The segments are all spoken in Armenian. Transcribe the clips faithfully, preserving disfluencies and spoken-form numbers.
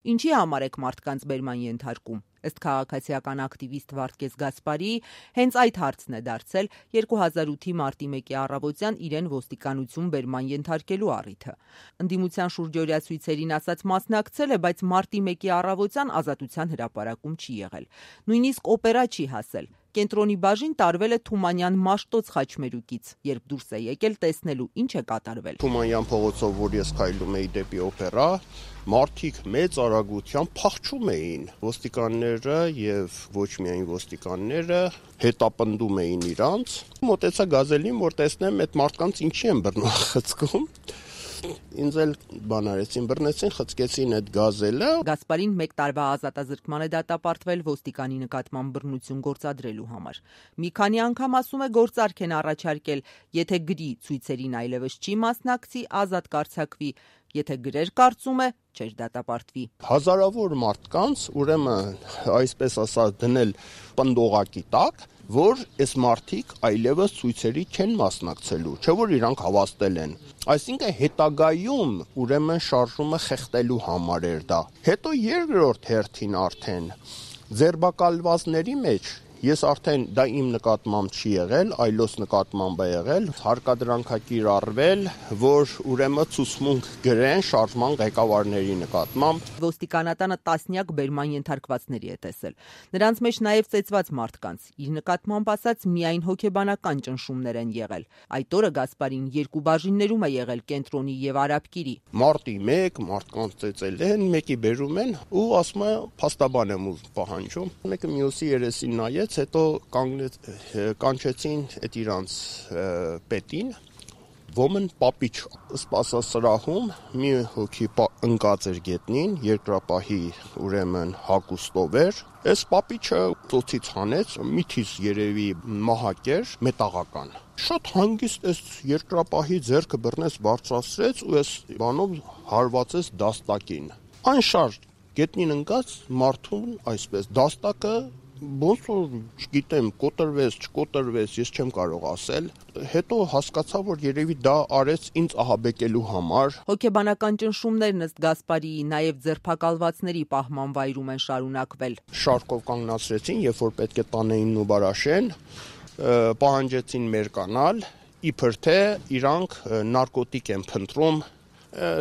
Ինչի համար եք մարդկանց բերման ենթարկում։ Ըստ քաղաքացիական ակտիվիստ Վարդգես Գասպարիի, հենց այդ հարցն է դարձել երկու հազար ութի մարտի մեկի առավոտյան իրեն ոստիկանություն բերման ենթարկելու առիթը։ Ընդդիմության շուրջօրյա ցույցերին ասած մասնակցել է, բայց մարտի մեկի առավոտյան ազատության հրապարակում չի եղել։ Նույնիսկ օպերա չի հասել։ Կենտրոնի բաժին տարվել է Թումանյան Մաշտոց խաչմերուկից, երբ դուրս է եկել տեսնելու ինչ է կատարվել։ Թումանյան փողոցով, որ ես քայլում էի դեպի օպերա, մարդիկ մեծ արագությամբ փախչում էին։ Ոստիկանները եւ ոչ միայն ոստիկանները հետապնդում էին իրանց։ Մոտեցա գազելին, որ տեսնեմ այդ մարդկանց ինչի են բռնախցկում։ Ինձ էլ բան արեցին, բռնեցին, խցկեցին այդ գազելը։ Գասպարին մեկ տարվա ազատազրկման է դատապարտվել ոստիկանի նկատմամբ բռնություն գործադրելու համար։ Մի քանի անգամ ասում է գործարք են առաջարկել, եթե գրի ցույցերին այլևս չի մասնակցի, ազատ կարձակվի, եթե գրեր կարծում է, չէր դատապարտվի։ Հազարավոր մարդկանց, ուրեմն, այսպես ասած, դնել պնդողակի տակ, որ այս մարդիկ այլևս ցույցերի չեն մասնակցելու, չէ՞ որ իրանք հավաստել են։ Այսինքն հետագայում ուրեմն շարժումը խեղդելու համար էր դա։ Հետո երկրորդ հերթին արդեն ձերբակալվածների մեջ ես արդեն դա իմ նկատմամբ չի եղել, այլոց նկատմամբ է եղել, հարկադրանքակիր արվել, որ ուրեմն ցուցմունք գրեն շարժման ղեկավարների նկատմամբ։ Ոստիկանատանը տասնյակ բերման ենթարկվածների է տեսել։ Նրանց մեջ նաև ծեծված մարդկանց, իր նկատմամբ ասած միայն հոգեբանական ճնշումներ են եղել։ Այդ օրը Գասպարին երկու բաժիններում է եղել Կենտրոնի եւ Արաբկիրի։ Մարտի մեկ մարդկանց ծեծել են, մեկի բերում են ու ասում է փաստաբան եմ ու պահանջում։ Մեկը մյուսի երեսին նայեց, հետո կանգնեց, կանչեցին այդ իրանց պետին, ոմն պապիչ սպասասրահում մի հոգի ընկած էր գետնին, երկրապահի ուրեմն հագուստով էր, այս պապիչը ծոցից հանեց, միթից երևի մահակ էր, մետաղական։ Շատ հանգիստ այս երկրապահի ձեռքը բռնեց, բարձրացրեց ու այս բանով հարվածեց դաստակին։ Անշարժ գետնին ընկած մարդուն այսպես դաստակը ոնց որ չգիտեմ, կոտրվեց, չկոտրվեց, ես չեմ կարող ասել։ Հետո հասկացա, որ երևի դա արեց ինձ ահաբեկելու համար։ Հոգեբանական ճնշումներն ըստ Գասպարիի նաև ձերբակալվածների պահման վայրում են շարունակվել։ Շարքով կանգնացրեցին, երբ որ պետք է տանեին ու բարաշեն, պահանջեցին մերկանալ, իբր թե իրանք նարկոտիկ են փնտրում։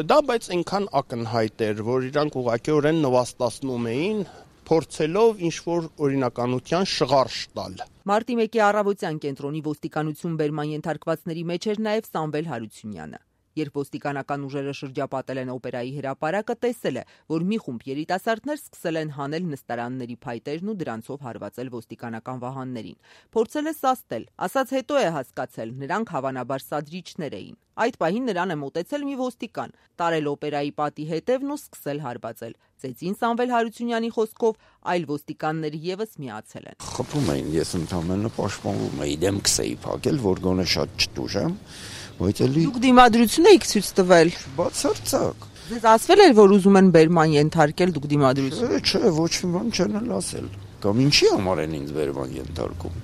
Դա բայց այնքան ակնհայտ էր, որ իրանք ուղղակիորեն նվաստացնում էին, փորձելով ինչ-որ օրինականության շղարշ տալ։ Մարտի մեկի առավոտյան Կենտրոնի ոստիկանություն բերման ենթարկվածների մեջ էր նաև Սամվել Հարությունյանը։ Երբ ոստիկանական ուժերը շրջապատել են օպերայի հրապարակը, տեսել է, որ մի խումբ երիտասարդներ սկսել են հանել նստարանների փայտերն ու դրանցով հարվածել ոստիկանական վահաններին։ Փորձել է սաստել, ասած հետո է հասկացել, նրանք հավանաբար սադրիչներ էին։ Այդ պահին նրան է մոտեցել մի ոստիկան, տարել օպերայի պատի հետևն ու սկսել հարվածել։ Ծեծին Սամվել Հարությունյանի խոսքով այլ ոստիկաններ եւս միացել են։ Խփում էին, ես ընդհանրապես պաշտպանվում էի, դեմքս էի փակել, որ գոնե շատ չտուժեմ, բայց էլի Դուք դիմադրություն եք ցույց տվել։ Բացարձակ։ Ձեզ ասվել էր, որ ուզում են բերման ենթարկել, դուք դիմադրություն։ Չէ, ոչ մի բան չեն էլ ասել։ Կամ ինչի համար են ինձ բերման ենթարկում։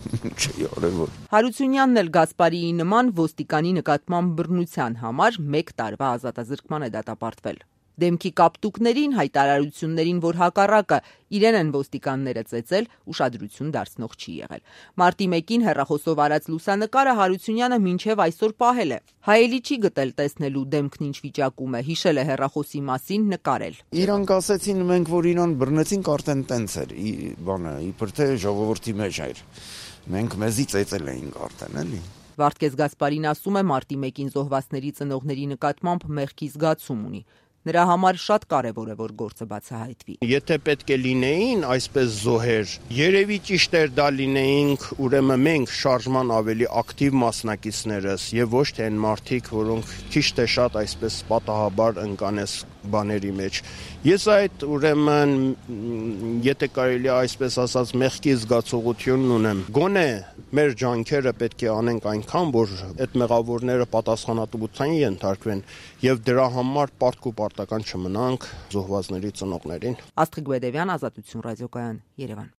Չի արևոտ։ Հարությունյանն էլ Գասպարիի նման ոստիկանի նկատմամբ բռնության համար մեկ տարվա ազատազրկման է դատապարտվել։ Դեմքի կապտուկներին, հայտարարություններին, որ հակառակը իրեն են ոստիկանները ծեծել, ուշադրություն դարձնող չի եղել։ Մարտի մեկին հեռախոսով արած լուսանկարը Հարությունյանը մինչև այսօր պահել է։ Հայելի չի գտել տեսնելու դեմքն ինչ վիճակում է, հիշել է հեռախոսի մասին, նկարել։ Իրանք ասեցին մենք, որ իրան բռնեցինք, արդեն տենց էր, բանը, իբր թե ժողովրդի մեջ էր։ Մենք մեզի ծեծել էինք արդեն, էլի։ Վարդգես Գասպարին ասում է մարտի մեկին զոհվածների ծնողների նկատմամբ մեղքի զգացում ունի։ Նրա համար շատ կարևոր է, որ գործը բացահայտվի։ Եթե պետք է լինեին այսպես զոհեր, երևի ճիշտ էր դա լինեինք, ուրեմն մենք շարժման ավելի ակտիվ մասնակիցներս եւ ոչ թե այն մարդիկ, որոնք ճիշտ է շատ այսպես պատահաբար ընկանես բաների մեջ։ Ես այդ ուրեմն եթե կարելի է այսպես ասած մեղքի զգացողությունն ունեմ։ Գոնե մեր ջանքերը պետք է անենք այնքան, որ այդ մեղավորները պատասխանատվության ենթարկվեն եւ դրա համար պարտք ու պարտական չմնանք զոհվածների ծնողներին։ Աստղիկ Բեդևյան, Ազատություն ռադիոկայան, Երևան։